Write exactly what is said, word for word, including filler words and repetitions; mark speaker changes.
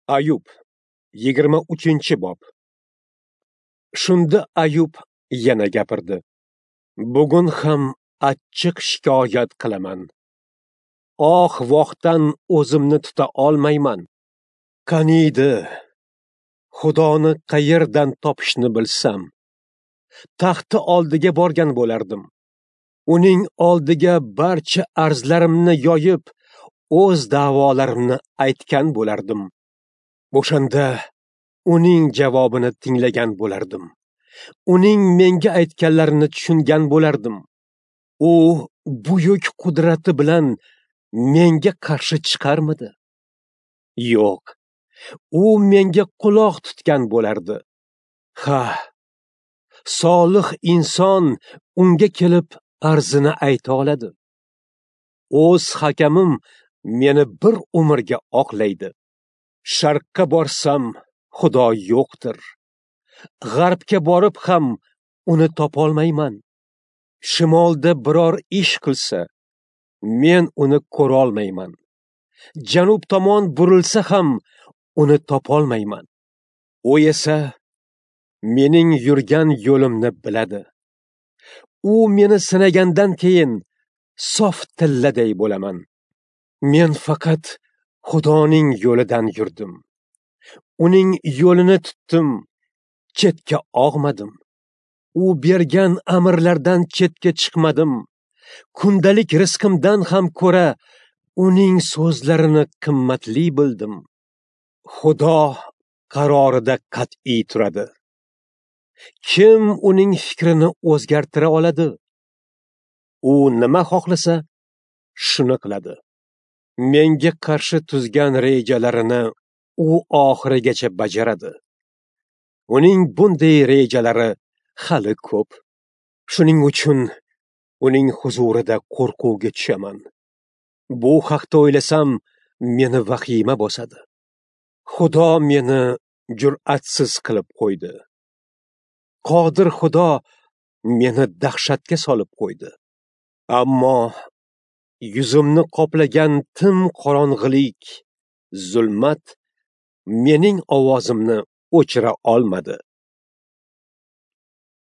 Speaker 1: Ayub, yigirma uchinchi bob. Shunda Ayub yana gapirdi. Bugun ham achchiq shikoyat qilaman. Oh-vohdan o'zimni tuta olmayman. Qaniydi, Xudoni qayerdan topishni bilsam, taxti oldiga borgan bo'lardim. Uning oldiga barcha arzlarimni yoyib, o'z da'volarimni aytgan bo'lardim. O'shanda uning javobini tinglagan bo'lardim. Uning menga aytganlarini tushungan bo'lardim. U buyuk qudrati bilan menga qarshi chiqarmidi? Yo'q. U menga quloq tutgan bo'lardi. Ha, solih inson unga kelib arzini ayta oladi. O'z hakamim meni bir umrga oqlaydi. Sharqqa borsam Xudo yo'qdir. G'arbga borib ham uni topolmayman. Shimolda biror ish qilsa, men uni ko'rolmayman. Janub tomon burilsa ham uni topolmayman. U esa mening yurgan yo'limni biladi. U meni sinagandan keyin sof tilladay bo'laman. Men faqat Xudoning yo'lidan yurdim. Uning yo'lini tutdim, chetga og'madim. U bergan amrlardan chetga chiqmadim. Kundalik rizqimdan ham ko'ra uning so'zlarini qimmatli bildim. Xudo qarorida qat'iy turadi. Kim uning fikrini o'zgartira oladi? U nima xohlasa, shuni qiladi. Menga qarshi tuzgan rejalarini u oxirigacha bajaradi. Uning bunday rejalari hali ko'p. Shuning uchun uning huzurida qo'rquvga tushaman. Bu haqda o'ylasam, meni vahima bosadi. Xudo meni jur'atsiz qilib qo'ydi. Qodir Xudo meni dahshatga solib qo'ydi. Ammo yuzimni qoplagan tim qorong'ilik, zulmat mening ovozimni o'chira olmadi.